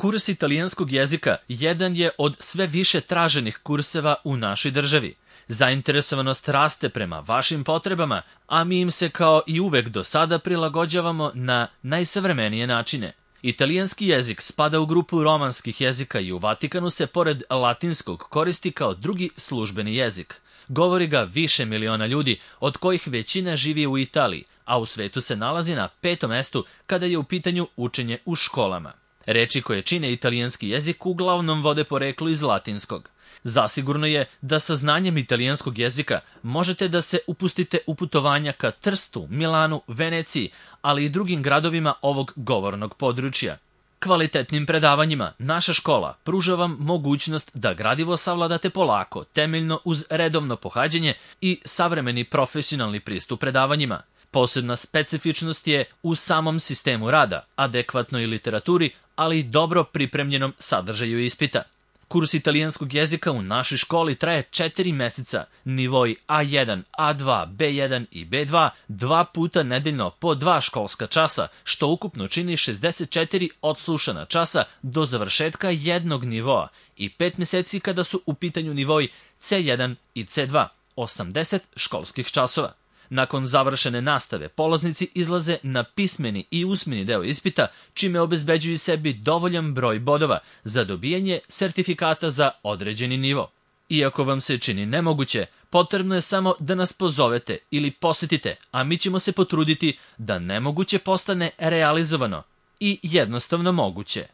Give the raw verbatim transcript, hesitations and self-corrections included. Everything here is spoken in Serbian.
Kurs italijanskog jezika jedan je od sve više traženih kurseva u našoj državi. Zainteresovanost raste prema vašim potrebama, a mi im se kao i uvek do sada prilagođavamo na najsavremenije načine. Italijanski jezik spada u grupu romanskih jezika i u Vatikanu se pored latinskog koristi kao drugi službeni jezik. Govori ga više miliona ljudi, od kojih većina živi u Italiji, a u svetu se nalazi na petom mestu kada je u pitanju učenje u školama. Reči koje čine italijanski jezik uglavnom vode poreklo iz latinskog. Zasigurno je da sa znanjem italijanskog jezika možete da se upustite u putovanja ka Trstu, Milanu, Veneciji, ali i drugim gradovima ovog govornog područja. Kvalitetnim predavanjima naša škola pruža vam mogućnost da gradivo savladate polako, temeljno uz redovno pohađanje i savremeni profesionalni pristup predavanjima. Posebna specifičnost je u samom sistemu rada, adekvatnoj literaturi, ali i dobro pripremljenom sadržaju ispita. Kurs italijanskog jezika u našoj školi traje četiri meseca, nivoji A jedan, A dva, B jedan i B dva, dva puta nedeljno po dva školska časa, što ukupno čini šezdeset četiri odslušana časa do završetka jednog nivoa i pet meseci kada su u pitanju nivoi C jedan i C dva, osamdeset školskih časova. Nakon završene nastave, polaznici izlaze na pismeni i usmeni deo ispita, čime obezbeđuju sebi dovoljan broj bodova za dobijanje sertifikata za određeni nivo. Iako vam se čini nemoguće, potrebno je samo da nas pozovete ili posetite, a mi ćemo se potruditi da nemoguće postane realizovano i jednostavno moguće.